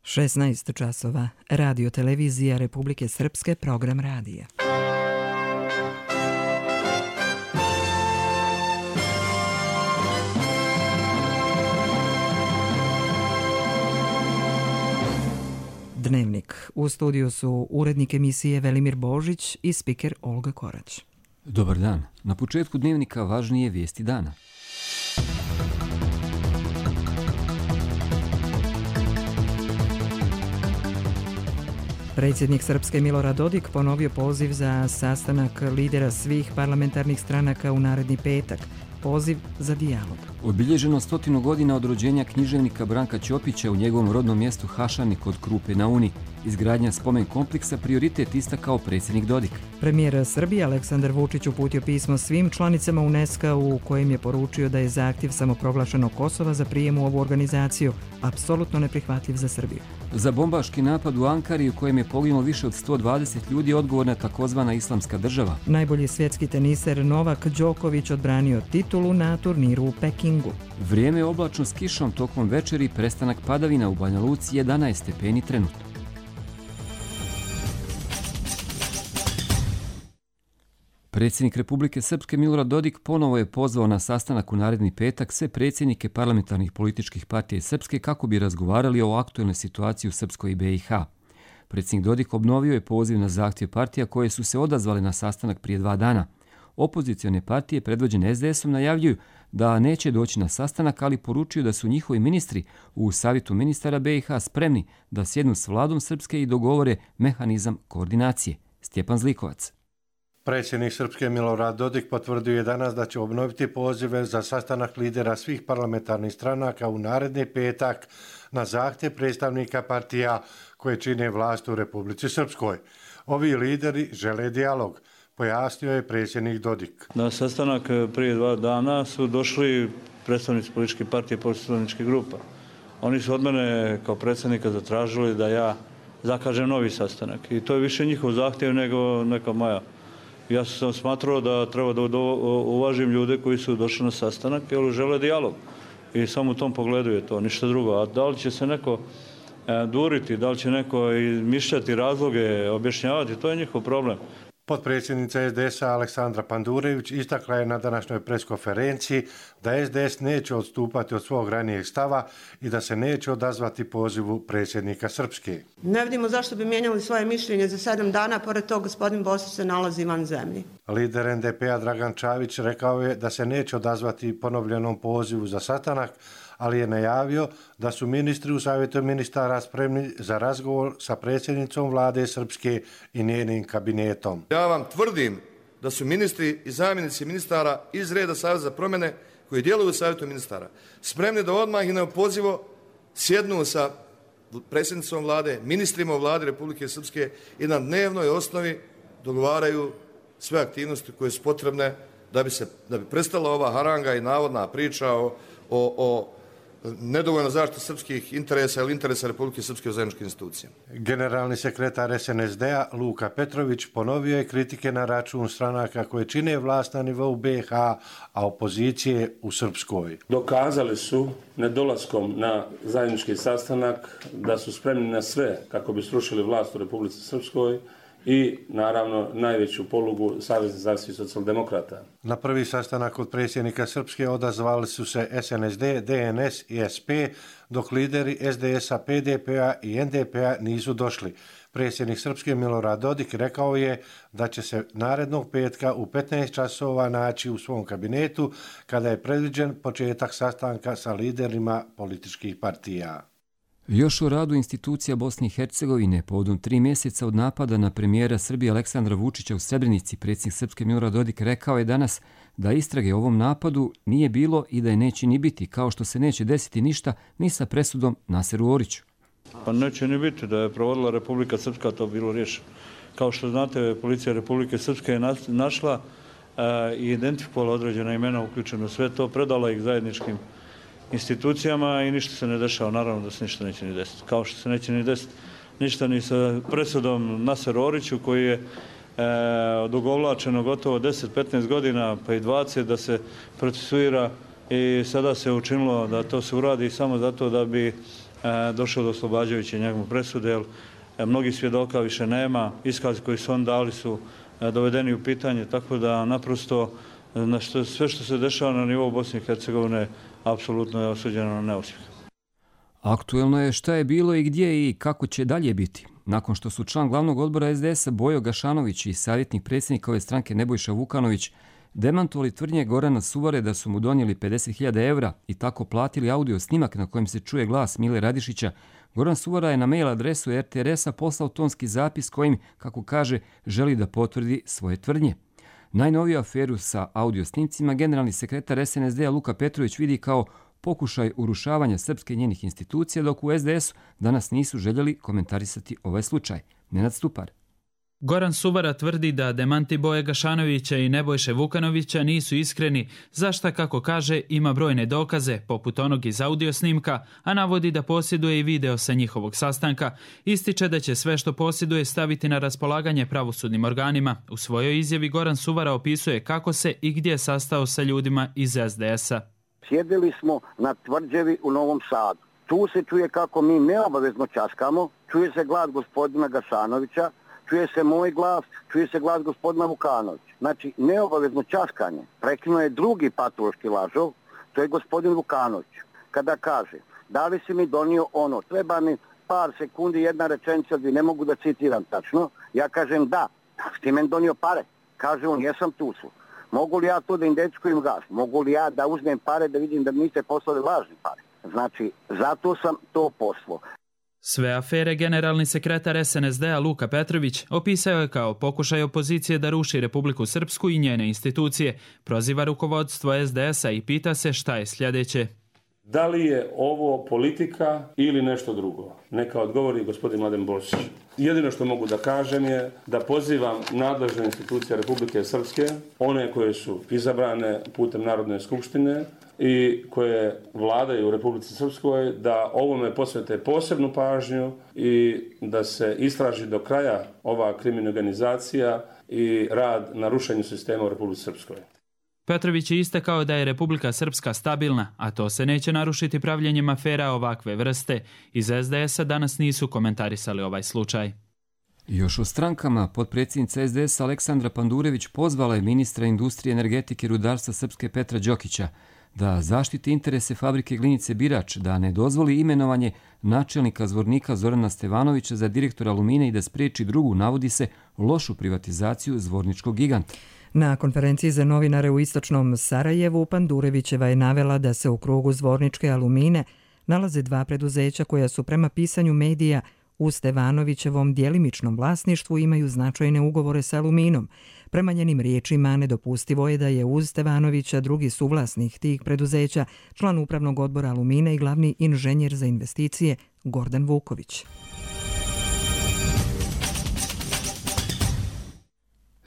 16 časova. Radio televizija Republike Srpske, program radija. Dnevnik. U studiju su urednik emisije Velimir Božić i spiker Olga Korać. Dobar dan. Na početku dnevnika važnije vijesti dana. Predsjednik Srpske Milorad Dodik ponovio poziv za sastanak lidera svih parlamentarnih stranaka u naredni petak. Poziv za dijalog. Obilježeno 100 godina od rođenja književnika Branka Ćopića u njegovom rodnom mjestu Hašani kod Krupe na Uni. Izgradnja spomen kompleksa prioritet istakao predsjednik Dodik. Premijer Srbije Aleksandar Vučić uputio pismo svim članicama UNESCO u kojem je poručio da je zahtjev samoproglašenog Kosova za prijem u ovu organizaciju apsolutno neprihvatljiv za Srbiju. Za bombaški napad u Ankari u kojem je poginulo više od 120 ljudi odgovorna takozvana Islamska država. Najbolji svjetski teniser Novak Đoković odbranio titulu na turniru u Pekingu. Vrijeme je oblačno s kišom tokom večeri, prestanak padavina u Banja Luci 11 stepeni trenutno. Predsjednik Republike Srpske Milorad Dodik ponovo je pozvao na sastanak u naredni petak sve predsjednike parlamentarnih političkih partija Srpske kako bi razgovarali o aktualnoj situaciji u Srpskoj i BiH. Predsjednik Dodik obnovio je poziv na zahtjev partija koje su se odazvale na sastanak prije 2 dana. Opozicione partije predvođene SDS-om najavljuju da neće doći na sastanak, ali poručuju da su njihovi ministri u Savjetu ministara BiH spremni da sjednu s vladom Srpske i dogovore mehanizam koordinacije. Stjepan Zlikovac. Predsjednik Srpske Milorad Dodik potvrdio je danas da će obnoviti pozive za sastanak lidera svih parlamentarnih stranaka u naredni petak na zahtjev predstavnika partija koje čine vlast u Republici Srpskoj. Ovi lideri žele dijalog, pojasnio je predsjednik Dodik. Na sastanak prije 2 dana su došli predstavnici političkih partija i poslaničkih grupa. Oni su od mene kao predsjednika zatražili da ja zakažem novi sastanak i to je više njihov zahtjev nego neka moja. Ja sam smatrao da treba da uvažim ljude koji su došli na sastanak jer žele dijalog. I samo u tom pogledu je to, ništa drugo. A da li će se neko duriti, da li će neko izmišljati razloge, objašnjavati, to je njihov problem. Potpredsjednica SDS-a Aleksandra Pandurević istakla je na današnjoj preskonferenciji da SDS neće odstupati od svog ranijeg stava i da se neće odazvati pozivu predsjednika Srpske. Ne vidimo zašto bi mijenjali svoje mišljenje za 7 dana, pored toga gospodin Bosić se nalazi van zemlji. Lider NDP-a Dragan Čavić rekao je da se neće odazvati ponovljenom pozivu za sastanak, ali je najavio da su ministri u Savjetu ministara spremni za razgovor sa predsjednicom vlade Srpske i njenim kabinetom. Ja vam tvrdim da su ministri i zamjenici ministara iz reda Saveza za promjene koji djeluju u Savjetu ministara spremni da odmah i neopozivo sjednu sa predsjednicom vlade, ministrima u vladi Republike Srpske i na dnevnoj osnovi dogovaraju sve aktivnosti koje su potrebne da bi prestala ova haranga i navodna priča o nedovoljno zaštiti srpskih interesa ili interesa Republike Srpske u zajedničkim institucijama. Generalni sekretar SNSD-a Luka Petrović ponovio je kritike na račun stranaka koje čine vlast na nivou BiH, a opozicije u Srpskoj. Dokazali su nedolaskom na zajednički sastanak da su spremni na sve kako bi srušili vlast u Republici Srpskoj i, naravno, najveću polugu Savezne zajednice socijaldemokrata. Na prvi sastanak od predsjednika Srpske odazvali su se SNSD, DNS i SP, dok lideri SDS-a, PDP-a i NDP-a nisu došli. Predsjednik Srpske Milorad Dodik rekao je da će se narednog petka u 15 časova naći u svom kabinetu kada je predviđen početak sastanka sa liderima političkih partija. Još o radu institucija Bosne i Hercegovine povodom 3 mjeseca od napada na premijera Srbije Aleksandra Vučića u Srebrenici, predsjednik Srpske Milorad Dodik rekao je danas da istrage o ovom napadu nije bilo i da je neće ni biti, kao što se neće desiti ništa ni sa presudom Naseru Oriću. Pa neće ni biti, da je provodila Republika Srpska, to bilo riješeno. Kao što znate, policija Republike Srpske je našla i identifikovala određena imena uključeno sve to, predala ih zajedničkim institucijama i ništa se ne dešava. Naravno da se ništa neće ni desiti. Kao što se neće ni desiti ništa ni sa presudom Naseru Oriću koji je odugovlačeno gotovo 10-15 godina pa i 20 da se procesuira i sada se učinilo da to se uradi samo zato da bi došlo do oslobađajuće njegove presude, jer mnogi svjedoka više nema, iskazi koji su on dali su dovedeni u pitanje, tako da naprosto sve što se dešava na nivou Bosne i Hercegovine apsolutno je osuđeno na neuspjeh. Aktuelno je šta je bilo i gdje i kako će dalje biti. Nakon što su član glavnog odbora SDS-a Bojo Gašanović i savjetnik predsjednika ove stranke Nebojša Vukanović demantovali tvrdnje Gorana Suvare da su mu donijeli 50.000 evra i tako platili audio snimak na kojem se čuje glas Mile Radišića, Goran Suvara je na mail adresu RTRS-a poslao tonski zapis kojim, kako kaže, želi da potvrdi svoje tvrdnje. Najnoviju aferu sa audio snimcima generalni sekretar SNSD-a Luka Petrović vidi kao pokušaj urušavanja srpske i njenih institucija, dok u SDS-u danas nisu željeli komentarisati ovaj slučaj. Nenad Stupar. Goran Suvara tvrdi da demanti Boje Gašanovića i Nebojše Vukanovića nisu iskreni, za šta, kako kaže, ima brojne dokaze, poput onog iz audio snimka, a navodi da posjeduje i video sa njihovog sastanka. Ističe da će sve što posjeduje staviti na raspolaganje pravosudnim organima. U svojoj izjavi Goran Suvara opisuje kako se i gdje sastao sa ljudima iz SDS-a. Sjedili smo na tvrđavi u Novom Sadu. Tu se čuje kako mi neobavezno časkamo, čuje se glas gospodina Gašanovića, čuje se moj glas, čuje se glas gospodina Vukanovića. Znači, neobavezno časkanje prekinuo je drugi patološki lažov, to je gospodin Vukanović. Kada kaže, da li si mi donio ono, treba mi par sekundi, jedna rečenica, gdje ne mogu da citiram tačno, ja kažem da ti meni donio pare. Kaže on, jesam tu su. Mogu li ja to da indečkujem gas? Mogu li ja da uzmem pare da vidim da niste poslali lažni pare? Znači, zato sam to poslao. Sve afere generalni sekretar SNSD-a Luka Petrović opisao je kao pokušaj opozicije da ruši Republiku Srpsku i njene institucije, proziva rukovodstvo SDS-a i pita se šta je sljedeće. Da li je ovo politika ili nešto drugo? Neka odgovori gospodin Mladen Božić. Jedino što mogu da kažem je da pozivam nadležne institucije Republike Srpske, one koje su izabrane putem Narodne skupštine i koje vladaju u Republici Srpskoj, da ovome posvete posebnu pažnju i da se istraži do kraja ova kriminalizacija i rad na rušenju sistema u Republici Srpskoj. Petrović je istakao da je Republika Srpska stabilna, a to se neće narušiti pravljenjem afera ovakve vrste. Iz SDS-a danas nisu komentarisali ovaj slučaj. Još o strankama, potpredsjednica SDS Aleksandra Pandurević pozvala je ministra industrije, energetike i rudarstva Srpske Petra Đokića da zaštiti interese fabrike Glinice Birač, da ne dozvoli imenovanje načelnika Zvornika Zorana Stevanovića za direktora Alumine i da spriječi drugu, navodi se, lošu privatizaciju zvorničkog giganta. Na konferenciji za novinare u istočnom Sarajevu Pandurevićeva je navela da se u krugu Zvorničke Alumine nalaze dva preduzeća koja su prema pisanju medija u Stevanovićevom djelimičnom vlasništvu imaju značajne ugovore sa Aluminom. Prema njenim riječima nedopustivo je da je uz Stevanovića drugi suvlasnik tih preduzeća, član upravnog odbora Alumine i glavni inženjer za investicije Gordan Vuković.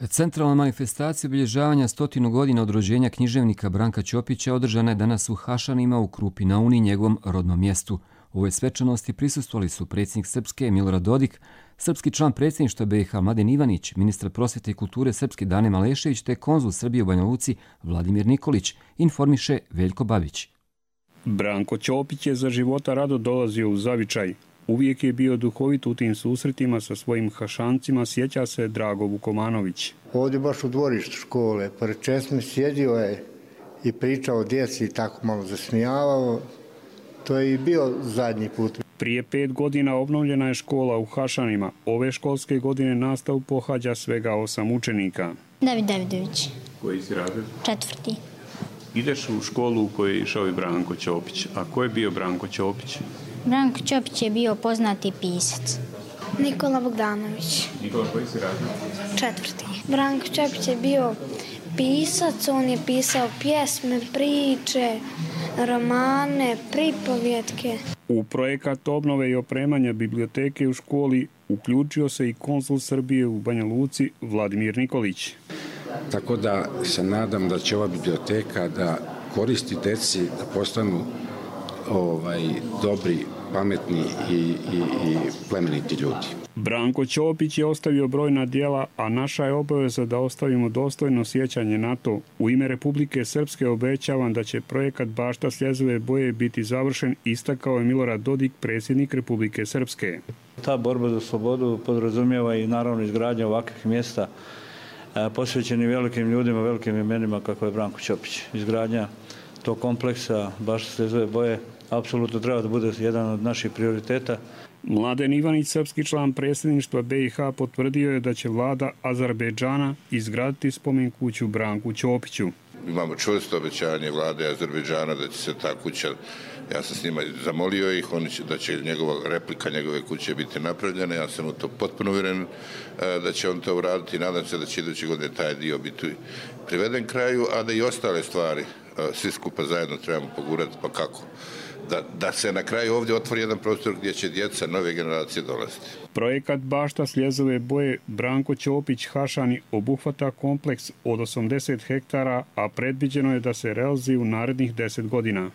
Centralna manifestacija obilježavanja 100 godina od rođenja književnika Branka Ćopića održana je danas u Hašanima u Krupi na Uni, njegovom rodnom mjestu. U ovoj svečanosti prisustvovali su predsjednik Srpske Milorad Dodik, srpski član predsjedništva BiH Mladen Ivanić, ministar prosvjete i kulture Srpske Dane Malešević te konzul Srbije u Banja Luci Vladimir Nikolić, informiše Veljko Babić. Branko Ćopić je za života rado dolazio u zavičaj. Uvijek je bio duhovit u tim susretima sa svojim Hašancima, sjeća se Drago Vukomanović. Ovdje baš u dvorištu škole, pored česme sjedio je i pričao o djeci i tako malo zasmijavao. To je i bio zadnji put. Prije 5 godina obnovljena je škola u Hašanima. Ove školske godine nastavu pohađa svega 8 učenika. David Davidović. Koji si razred? 4. Ideš u školu u kojoj je išao i Branko Ćopić. A ko je bio Branko Ćopić? Branko Ćopić je bio poznati pisac. Nikola Bogdanović. Nikola, koji si razred? 4. Branko Ćopić je bio pisac, on je pisao pjesme, priče, romane, pripovjetke. U projekat obnove i opremanja biblioteke u školi uključio se i konzul Srbije u Banja Luci Vladimir Nikolić. Tako da se nadam da će ova biblioteka da koristi deci, da postanu dobri pametni i plemeniti ljudi. Branko Ćopić je ostavio brojna djela, a naša je obaveza da ostavimo dostojno sjećanje na to. U ime Republike Srpske obećavam da će projekat Bašta Sljezove boje biti završen, istakao je Milorad Dodik, predsjednik Republike Srpske. Ta borba za slobodu podrazumijeva i naravno izgradnja ovakvih mjesta posvećeni velikim ljudima, velikim imenima kako je Branko Ćopić. Izgradnja tog kompleksa Bašta Sljezove boje apsolutno treba da bude jedan od naših prioriteta. Mladen Ivanić, srpski član predsjedništva BiH, potvrdio je da će vlada Azerbejdžana izgraditi spomen kuću Branku Ćopiću. Imamo čvrsto obećanje vlade Azerbejdžana da će se ta kuća, ja sam s njima zamolio ih, da će replika njegove kuće biti napravljena, ja sam u to potpuno uvjeren da će on to uraditi i nadam se da će iduće godine taj dio biti priveden kraju, a da i ostale stvari svi skupa zajedno trebamo pogurati, pa kako? Da se na kraju ovdje otvori jedan prostor gdje će djeca nove generacije dolaziti. Projekat Bašta Sljezove boje Branko Ćopić Hašani obuhvata kompleks od 80 hektara, a predviđeno je da se realizuje u narednih 10 godina.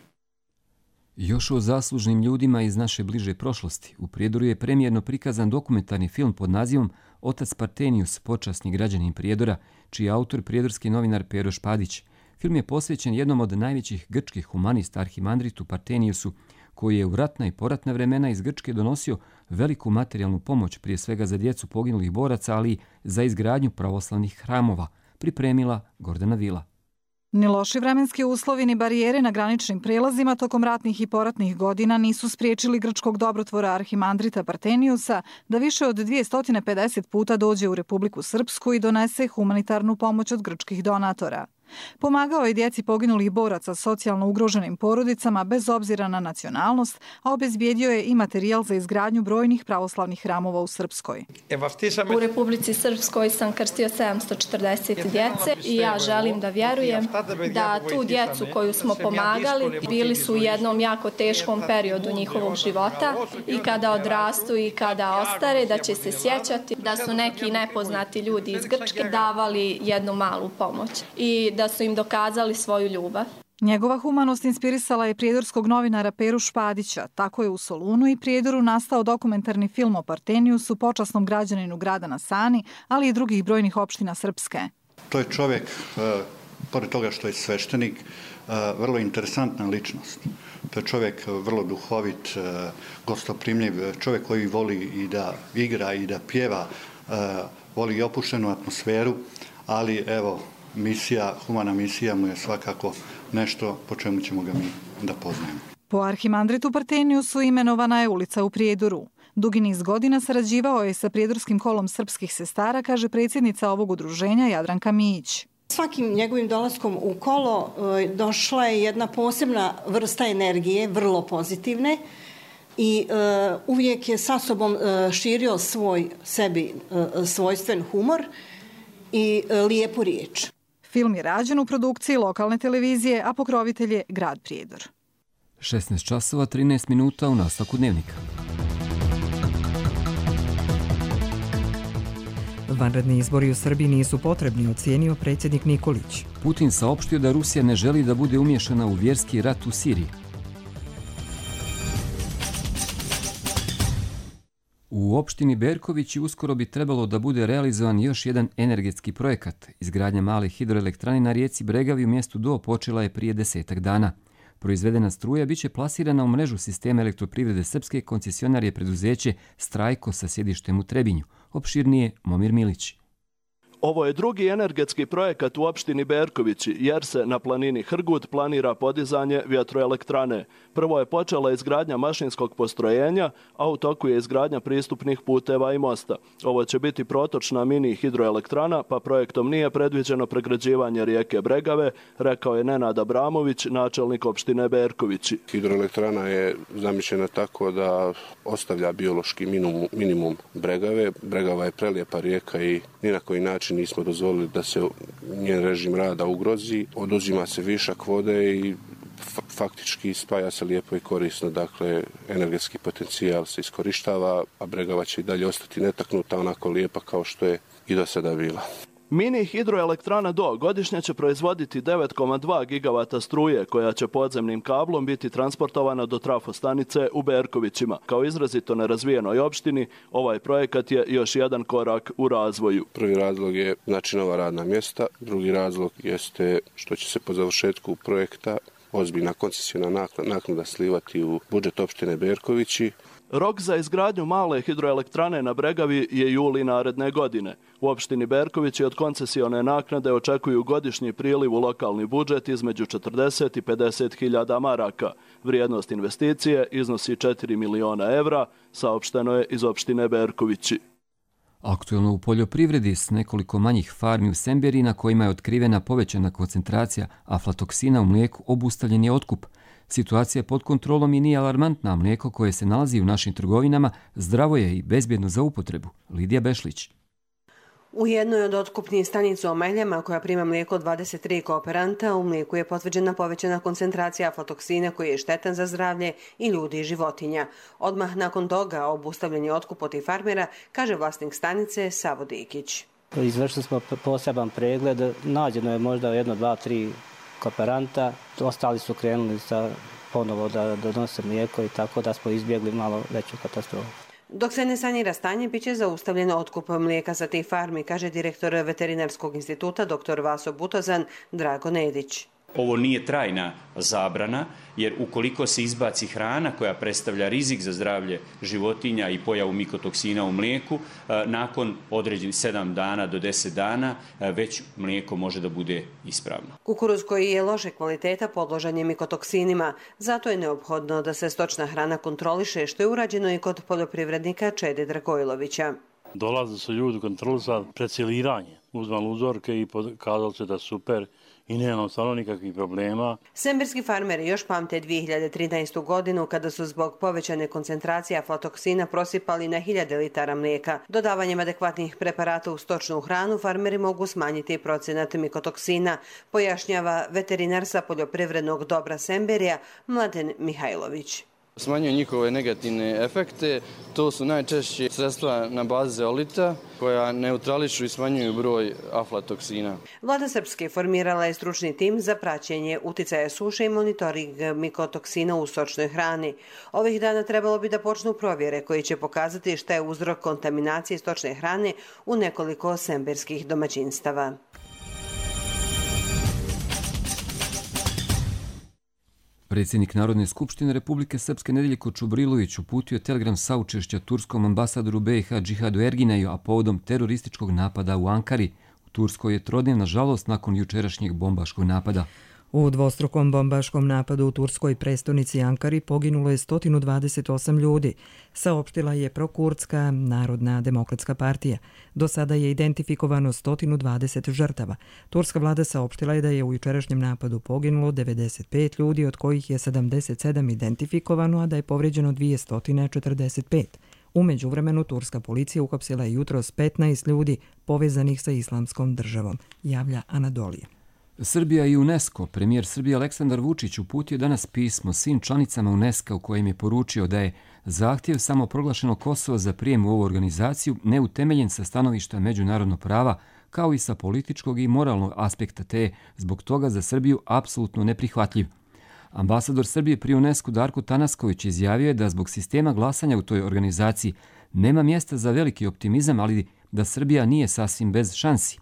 Još o zaslužnim ljudima iz naše bliže prošlosti. U Prijedoru je premijerno prikazan dokumentarni film pod nazivom Otac Partenius, počasni građanin Prijedora, čiji je autor prijedorski novinar Pero Špadić. Film je posvećen jednom od najvećih grčkih humanista Arhimandritu Parteniusu, koji je u ratna i poratna vremena iz Grčke donosio veliku materijalnu pomoć, prije svega za djecu poginulih boraca, ali i za izgradnju pravoslavnih hramova, pripremila Gordana Vila. Ni loši vremenski uslovi ni barijere na graničnim prelazima tokom ratnih i poratnih godina nisu spriječili grčkog dobrotvora Arhimandrita Parteniusa da više od 250 puta dođe u Republiku Srpsku i donese humanitarnu pomoć od grčkih donatora. Pomagao je djeci poginulih boraca socijalno ugroženim porodicama bez obzira na nacionalnost, a obezbijedio je i materijal za izgradnju brojnih pravoslavnih hramova u Srpskoj. U Republici Srpskoj sam krstio 740 djece i ja želim da vjerujem da tu djecu koju smo pomagali bili su u jednom jako teškom periodu njihovog života i kada odrastu i kada ostare da će se sjećati da su neki nepoznati ljudi iz Grčke davali jednu malu pomoć i da su im dokazali svoju ljubav. Njegova humanost inspirisala je prijedorskog novinara Peru Špadića. Tako je u Solunu i Prijedoru nastao dokumentarni film o Parteniusu, počasnom građaninu grada na Sani, ali i drugih brojnih opština Srpske. To je čovjek, pored toga što je sveštenik, vrlo interesantna ličnost. To je čovjek vrlo duhovit, gostoprimljiv, čovjek koji voli i da igra i da pjeva, voli i opuštenu atmosferu, ali evo, humana misija mu je svakako nešto po čemu ćemo ga mi da poznajemo. Po Arhimandritu Parteniusu imenovana je ulica u Prijedoru. Dugi niz godina sarađivao je sa Prijedorskim kolom srpskih sestara, kaže predsjednica ovog udruženja Jadranka Mijić. Svakim njegovim dolaskom u kolo došla je jedna posebna vrsta energije, vrlo pozitivne, i uvijek je sa sobom širio svoj sebi svojstven humor i lijepu riječ. Film je rađen u produkciji lokalne televizije, a pokrovitelj je grad Prijedor. 16 časova 13 minuta u nastavku dnevnika. Vanredni izbori u Srbiji nisu potrebni, ocijenio predsjednik Nikolić. Putin saopštio da Rusija ne želi da bude umiješana u vjerski rat u Siriji. U opštini Berkovići uskoro bi trebalo da bude realizovan još jedan energetski projekat. Izgradnja male hidroelektrane na rijeci Bregavi u mjestu Do počela je prije 10 dana. Proizvedena struja biće plasirana u mrežu sistema elektroprivrede Srpske, koncesionar je preduzeće Strajko sa sjedištem u Trebinju. Opširnije Momir Milić. Ovo je drugi energetski projekat u opštini Berkovići, jer se na planini Hrgut planira podizanje vjetroelektrane. Prvo je počela izgradnja mašinskog postrojenja, a u toku je izgradnja pristupnih puteva i mosta. Ovo će biti protočna mini hidroelektrana, pa projektom nije predviđeno pregrađivanje rijeke Bregave, rekao je Nenad Abramović, načelnik opštine Berkovići. Hidroelektrana je zamišljena tako da ostavlja biološki minimum Bregave. Bregava je prelijepa rijeka i ni na koji način nismo dozvolili da se njen režim rada ugrozi. Oduzima se višak vode i faktički spaja se lijepo i korisno. Dakle, energetski potencijal se iskorištava, a Bregava će i dalje ostati netaknuta, onako lijepa kao što je i do sada bila. Mini hidroelektrana Do godišnje će proizvoditi 9,2 gigavata struje koja će podzemnim kablom biti transportovana do trafostanice u Berkovićima. Kao izrazito nerazvijenoj opštini, ovaj projekat je još jedan korak u razvoju. Prvi razlog je nova radna mjesta, drugi razlog jeste što će se po završetku projekta ozbiljna koncesijona naknada slivati u budžet opštine Berkovići. Rok za izgradnju male hidroelektrane na Bregavi je juli naredne godine. U opštini Berkovići od koncesione naknade očekuju godišnji priliv u lokalni budžet između 40 i 50 hiljada maraka. Vrijednost investicije iznosi 4 miliona evra, saopšteno je iz opštine Berkovići. Aktuelno u poljoprivredi s nekoliko manjih farmi u Semberiji na kojima je otkrivena povećana koncentracija aflatoksina u mlijeku obustavljen je otkup. Situacija pod kontrolom i nije alarmantna, mlijeko koje se nalazi u našim trgovinama zdravo je i bezbjedno za upotrebu. Lidija Bešlić. U jednoj od otkupnih stanica u Meljama, koja prima mlijeko od 23 kooperanta, u mlijeku je potvrđena povećana koncentracija aflatoksina koji je štetan za zdravlje i ljudi i životinja. Odmah nakon toga obustavljen je otkup od tih farmera, kaže vlasnik stanice Savo Dikić. Izvršili smo poseban pregled, nađeno je možda 1, 2, 3 kooperanta, ostali su krenuli ponovo da donose mlijeko i tako da smo izbjegli malo veću katastrofu. Dok se ne sanira stanje, bit će zaustavljeno otkup mlijeka sa tih farmi, kaže direktor Veterinarskog instituta dr. Vaso Butozan Drago Nedić. Ovo nije trajna zabrana, jer ukoliko se izbaci hrana koja predstavlja rizik za zdravlje životinja i pojavu mikotoksina u mlijeku, nakon određenih 7 dana do 10 dana već mlijeko može da bude ispravno. Kukuruz koji je loše kvaliteta podložan je mikotoksinima, zato je neophodno da se stočna hrana kontroliše, što je urađeno i kod poljoprivrednika Čede Dragojlovića. Dolaze su ljudi kontrolisati preciliranje, uzmali uzorke i pokazali se da super i nema stvarno nikakvih problema. Semberski farmeri još pamte 2013. godinu kada su zbog povećane koncentracije aflatoksina prosipali na 1000 litara mlijeka. Dodavanjem adekvatnih preparata u stočnu hranu farmeri mogu smanjiti procenat mikotoksina, pojašnjava veterinar sa poljoprivrednog dobra Semberija Mladen Mihajlović. Smanjuje njihove negativne efekte, to su najčešće sredstva na bazi zeolita koja neutrališu i smanjuju broj aflatoksina. Vlada Srpske formirala je stručni tim za praćenje uticaja suše i monitoring mikotoksina u stočnoj hrani. Ovih dana trebalo bi da počnu provjere koji će pokazati šta je uzrok kontaminacije stočne hrane u nekoliko semberskih domaćinstava. Predsjednik Narodne skupštine Republike Srpske Nedeljko Čubrilović uputio telegram saučešća turskom ambasadoru BiH Džihadu Ergineju, a povodom terorističkog napada u Ankari. U Turskoj je trodnevna žalost nakon jučerašnjeg bombaškog napada. U dvostrukom bombaškom napadu u turskoj prestonici Ankari poginulo je 128 ljudi, saopštila je prokurdska Narodna demokratska partija. Do sada je identifikovano 120 žrtava. Turska vlada saopštila je da je u jučerašnjem napadu poginulo 95 ljudi, od kojih je 77 identifikovano, a da je povrijeđeno 245. U međuvremenu turska policija uhapsila je jutros 15 ljudi povezanih sa Islamskom državom, javlja Anadolija. Srbija i UNESCO. Premijer Srbije Aleksandar Vučić uputio danas pismo svim članicama UNESCO u kojem je poručio da je zahtjev samoproglašenog Kosova za prijem u ovu organizaciju neutemeljen sa stanovišta međunarodnog prava, kao i sa političkog i moralnog aspekta, te je zbog toga za Srbiju apsolutno neprihvatljiv. Ambasador Srbije pri UNESCO Darko Tanasković izjavio je da zbog sistema glasanja u toj organizaciji nema mjesta za veliki optimizam, ali da Srbija nije sasvim bez šansi.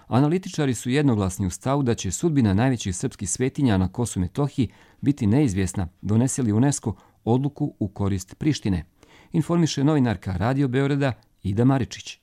Analitičari su jednoglasni u stavu da će sudbina najvećih srpskih svetinja na Kosovu i Metohiji biti neizvjesna, donese li UNESCO odluku u korist Prištine. Informiše novinarka Radio Beograda Ida Maričić.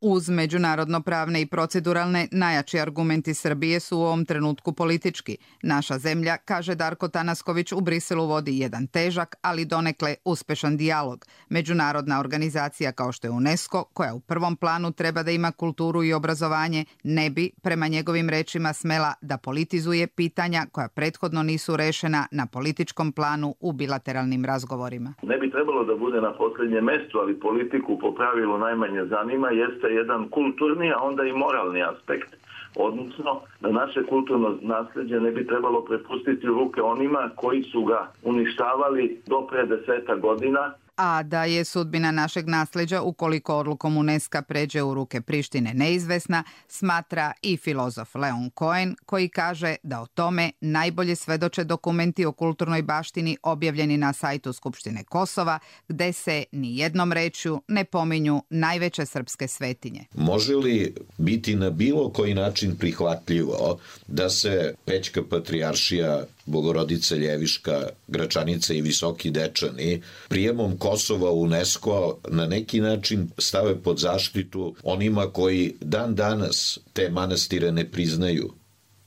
Uz međunarodno-pravne i proceduralne, najjači argumenti Srbije su u ovom trenutku politički. Naša zemlja, kaže Darko Tanasković, u Briselu vodi jedan težak, ali donekle uspešan dijalog. Međunarodna organizacija kao što je UNESCO, koja u prvom planu treba da ima kulturu i obrazovanje, ne bi, prema njegovim rečima, smela da politizuje pitanja koja prethodno nisu rešena na političkom planu u bilateralnim razgovorima. Ne bi trebalo da bude na posljednjem mjestu, ali politiku po pravilu najmanje zanima, jeste jedan kulturni, a onda i moralni aspekt, odnosno da naše kulturno nasljeđe ne bi trebalo prepustiti u ruke onima koji su ga uništavali do pre 10 godina. a da je sudbina našeg nasljeđa ukoliko odlukom UNESCO pređe u ruke Prištine neizvesna, smatra i filozof Leon Cohen, koji kaže da o tome najbolje svedoče dokumenti o kulturnoj baštini objavljeni na sajtu Skupštine Kosova, gde se ni jednom rečju ne pominju najveće srpske svetinje. Može li biti na bilo koji način prihvatljivo da se Pećka patrijaršija, Bogorodica Ljeviška, Gračanica i Visoki Dečani prijemom Kosova u UNESCO na neki način stave pod zaštitu onima koji dan danas te manastire ne priznaju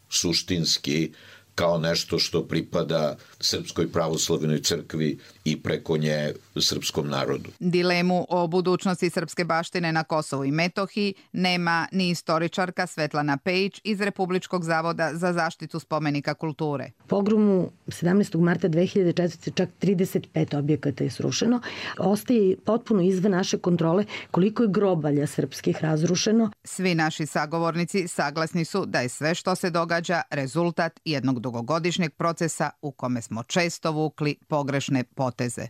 suštinski kao nešto što pripada Srpskoj pravoslavnoj crkvi i preko nje srpskom narodu. Dilemu o budućnosti srpske baštine na Kosovu i Metohiji nema ni istoričarka Svetlana Pejić iz Republičkog zavoda za zaštitu spomenika kulture. Pogromu 17. marta 2004. čak 35 objekata je srušeno. Ostaje potpuno izvan naše kontrole koliko je grobalja srpskih razrušeno. Svi naši sagovornici saglasni su da je sve što se događa rezultat jednog dugogodišnjeg procesa u kome smo često vukli pogrešne poteze.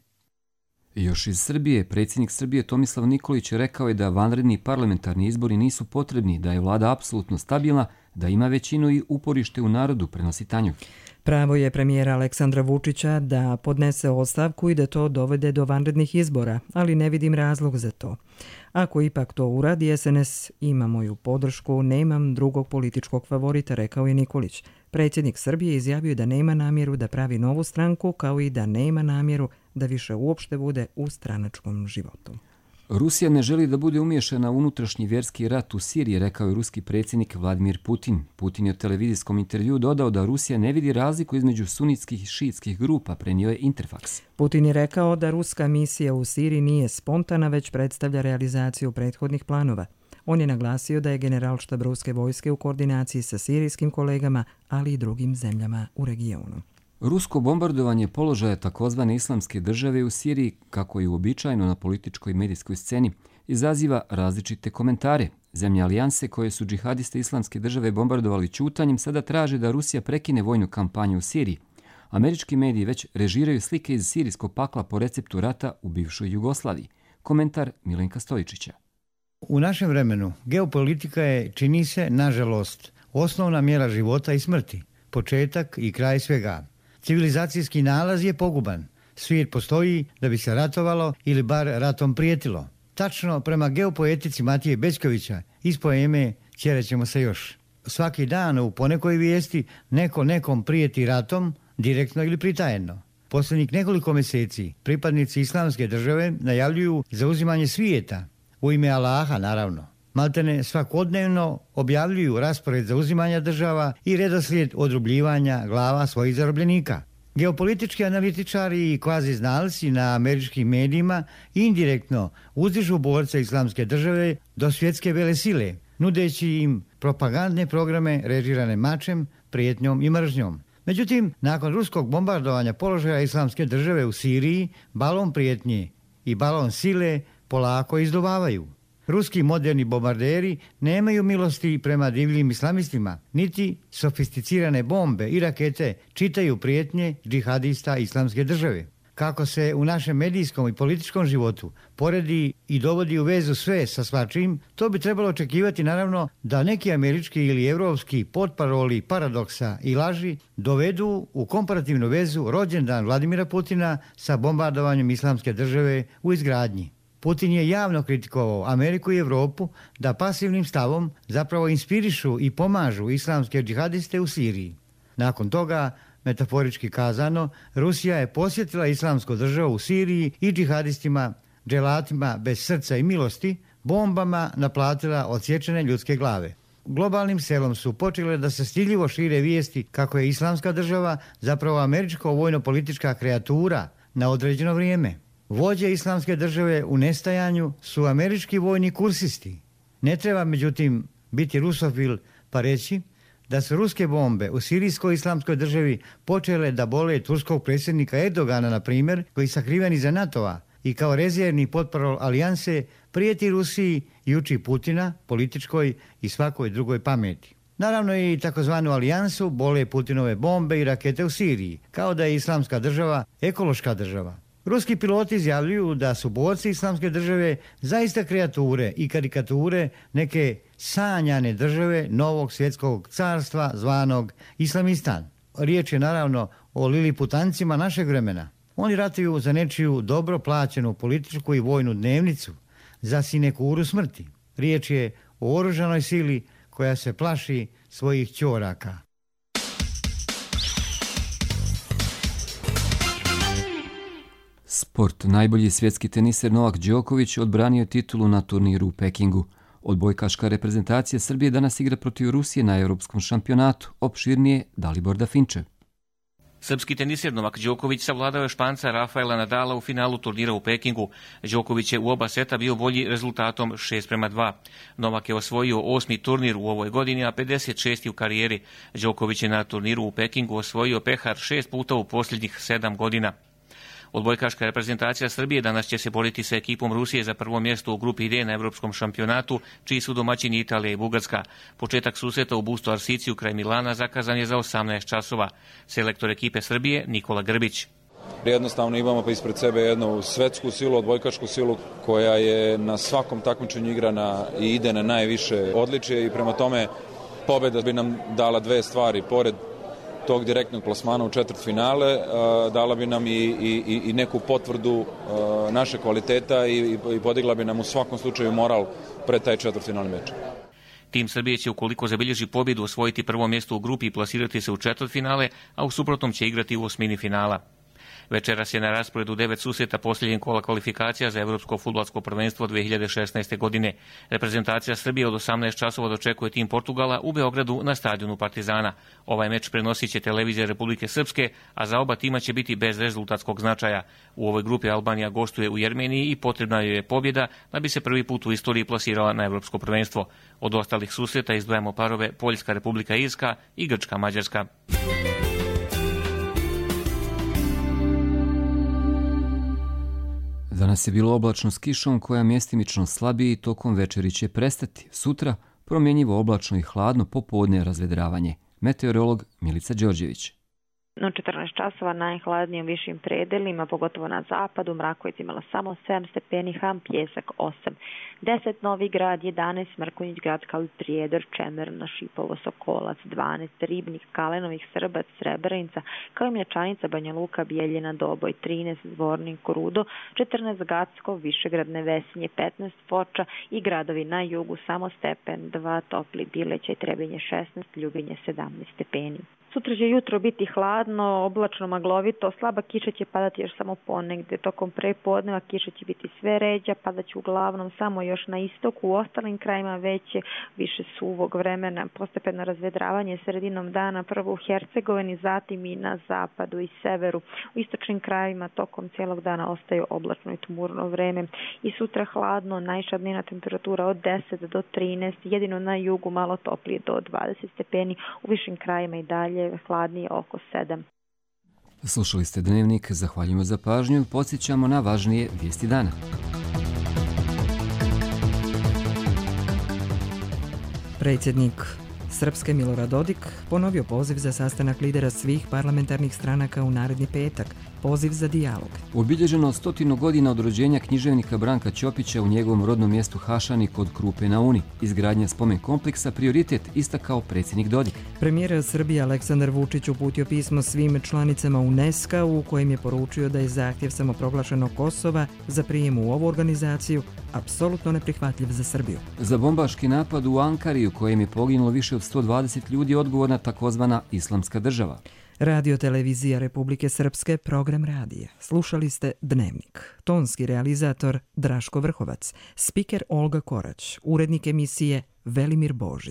Još iz Srbije, predsjednik Srbije Tomislav Nikolić rekao je da vanredni parlamentarni izbori nisu potrebni, da je vlada apsolutno stabilna, da ima većinu i uporište u narodu, prenosi Tanjug. Pravo je premijera Aleksandra Vučića da podnese ostavku i da to dovede do vanrednih izbora, ali ne vidim razlog za to. Ako ipak to uradi, SNS ima moju podršku, nemam drugog političkog favorita, rekao je Nikolić. Predsjednik Srbije izjavio da nema namjeru da pravi novu stranku, kao i da nema namjeru da više uopšte bude u stranačkom životu. Rusija ne želi da bude umiješana u unutrašnji vjerski rat u Siriji, rekao je ruski predsjednik Vladimir Putin. Putin je u televizijskom intervjuu dodao da Rusija ne vidi razliku između sunitskih i šiitskih grupa, prenio je Interfax. Putin je rekao da ruska misija u Siriji nije spontana, već predstavlja realizaciju prethodnih planova. On je naglasio da je generalštab ruske vojske u koordinaciji sa sirijskim kolegama, ali i drugim zemljama u regionu. Rusko bombardovanje položaja takozvane islamske države u Siriji, kako je uobičajeno na političkoj i medijskoj sceni, izaziva različite komentare. Zemlje alijanse koje su džihadiste islamske države bombardovali ćutanjem sada traže da Rusija prekine vojnu kampanju u Siriji. Američki mediji već režiraju slike iz sirijskog pakla po receptu rata u bivšoj Jugoslaviji. Komentar Milenka Stojičića. U našem vremenu geopolitika je, čini se, nažalost, osnovna mjera života i smrti, početak i kraj svega. Civilizacijski nalaz je poguban. Svijet postoji da bi se ratovalo ili bar ratom prijetilo. Tačno prema geopoetici Matije Bećkovića iz poeme Ćerećemo se još. Svaki dan u ponekoj vijesti neko nekom prijeti ratom, direktno ili pritajedno. Posljednjih nekoliko mjeseci pripadnici islamske države najavljuju zauzimanje svijeta, u ime Allaha naravno. Maltene svakodnevno objavljuju raspored zauzimanja država i redoslijed odrubljivanja glava svojih zarobljenika. Geopolitički analitičari i kvazi znalci na američkim medijima indirektno uzdižu borce islamske države do svjetske velesile, nudeći im propagandne programe režirane mačem, prijetnjom i mržnjom. Međutim, nakon ruskog bombardovanja položaja islamske države u Siriji, balon prijetnje i balon sile polako izduvavaju. Ruski moderni bombarderi nemaju milosti prema divljim islamistima, niti sofisticirane bombe i rakete čitaju prijetnje džihadista islamske države. Kako se u našem medijskom i političkom životu poredi i dovodi u vezu sve sa svačim, to bi trebalo očekivati naravno da neki američki ili evropski potparoli paradoksa i laži dovedu u komparativnu vezu rođendan Vladimira Putina sa bombardovanjem islamske države u izgradnji. Putin je javno kritikovao Ameriku i Evropu da pasivnim stavom zapravo inspirišu i pomažu islamske džihadiste u Siriji. Nakon toga, metaforički kazano, Rusija je posjetila islamsku državu u Siriji i džihadistima, dželatima bez srca i milosti, bombama naplatila odsječene ljudske glave. Globalnim selom su počele da se stidljivo šire vijesti kako je islamska država zapravo američko vojno-politička kreatura na određeno vrijeme. Vođe islamske države u nestajanju su američki vojni kursisti. Ne treba, međutim, biti rusofil pa reći da su ruske bombe u sirijskoj islamskoj državi počele da bole turskog predsjednika Erdogana, na primjer, koji sakriven iza NATO-a i kao rezervni potparol alijanse prijeti Rusiji i uči Putina, političkoj i svakoj drugoj pameti. Naravno i takozvanu alijansu bole Putinove bombe i rakete u Siriji, kao da je islamska država ekološka država. Ruski piloti izjavljuju da su borci Islamske države zaista kreature i karikature neke sanjane države novog svjetskog carstva zvanog Islamistan. Riječ je naravno o liliputancima našeg vremena. Oni ratuju za nečiju dobro plaćenu političku i vojnu dnevnicu, za sinekuru smrti. Riječ je o oružanoj sili koja se plaši svojih ćoraka. Sport. Najbolji svjetski teniser Novak Đoković odbranio titulu na turniru u Pekingu. Odbojkaška reprezentacija Srbije danas igra protiv Rusije na Europskom šampionatu. Opširnije Dalibor Dafinčev. Srpski teniser Novak Đoković savladao je Španca Rafaela Nadala u finalu turnira u Pekingu. Đoković je u oba seta bio bolji rezultatom 6:2. Novak je osvojio 8. turnir u ovoj godini, a 56. u karijeri. Đoković je na turniru u Pekingu osvojio pehar 6 puta u posljednjih 7 godina. Odbojkaška reprezentacija Srbije danas će se boriti sa ekipom Rusije za prvo mjesto u grupi D na Evropskom šampionatu, čiji su domaćini Italija i Bugarska. Početak susreta u Busto Arsiciju kraj Milana zakazan je za 18 časova. Selektor ekipe Srbije Nikola Grbić. Jednostavno imamo pa ispred sebe jednu svetsku silu, odbojkašku silu koja je na svakom takmičenju igrana i ide na najviše odličje i prema tome pobjeda bi nam dala dve stvari. Pored tog direktnog plasmana u četvrtfinale dala bi nam i neku potvrdu naše kvaliteta i podigla bi nam u svakom slučaju moral pred taj četvrtfinalni meč. Tim Srbije će, ukoliko zabilježi pobjedu, osvojiti prvo mjesto u grupi i plasirati se u četvrtfinale, a u suprotnom će igrati u osmini finala. Večeras je na rasporedu 9 susreta posljednjeg kola kvalifikacija za Evropsko fudbalsko prvenstvo 2016. godine. Reprezentacija Srbije od 18 časova dočekuje tim Portugala u Beogradu na stadionu Partizana. Ovaj meč prenosit će televizija Republike Srpske, a za oba tima će biti bez rezultatskog značaja. U ovoj grupi Albanija gostuje u Jermeniji i potrebna joj je pobjeda da bi se prvi put u istoriji plasirala na Evropsko prvenstvo. Od ostalih susreta izdvajamo parove Poljska, Republika Irska i Grčka, Mađarska. Danas je bilo oblačno s kišom koja mjestimično slabije i tokom večeri će prestati. Sutra promjenjivo oblačno i hladno, popodne razvedravanje. Meteorolog Milica Đorđević. No 14 časova najhladnije u višim predelima, pogotovo na zapadu, Mrakovic imala samo 7 stepeni, Ham, Pjesak 8. 10 Novi Grad, 11 Mrkonjić, Grad Prijedor, Čemerna, Šipovo, Sokolac, 12 Ribnik, Kalenovih, Srbac, Srebrenica, kao i Mlečanica, Banja Luka, Bijeljina, Doboj, 13 Zvornik, Rudo, 14 Gacko, Višegrad, Nevesinje, 15 Foča i gradovi na jugu samo stepen 2, Topli, Bileća i Trebinje 16, Ljubinje 17 stepeni. Sutra će jutro biti hladno, oblačno, maglovito, slaba kiša će padati još samo ponegdje. Tokom prepodneva kiša će biti sve ređa, padat će uglavnom samo još na istoku, u ostalim krajima veće, više suvog vremena, postepeno razvedravanje sredinom dana, prvo u Hercegovini, zatim i na zapadu i severu. U istočnim krajima tokom cijelog dana ostaju oblačno i tmurno vreme. I sutra hladno, najviša dnevna temperatura od 10 do 13, jedino na jugu malo toplije do 20 stepeni, u višim krajima i dalje hladnije oko 7. Slušali ste Dnevnik, zahvaljujemo za pažnju, podsjećamo na važnije vijesti dana. Predsjednik Srpske Milorad Dodik ponovio poziv za sastanak lidera svih parlamentarnih stranaka u naredni petak, poziv za dijalog. Obilježeno 100 godina od rođenja književnika Branka Ćopića u njegovom rodnom mjestu Hašani kod Krupe na Uni. Izgradnja spomen kompleksa prioritet istakao predsjednik Dodik. Premijer Srbije Aleksandar Vučić uputio pismo svim članicama UNESCO u kojem je poručio da je zahtjev samoproglašenog Kosova za prijem u ovu organizaciju apsolutno neprihvatljiv za Srbiju. Za bombaški napad u Ankari u kojem je poginulo više od 120 ljudi odgovorna takozvana Islamska država. Radio televizija Republike Srpske, program radija. Slušali ste Dnevnik. Tonski realizator Draško Vrhovac, spiker Olga Korać, urednik emisije Velimir Božić.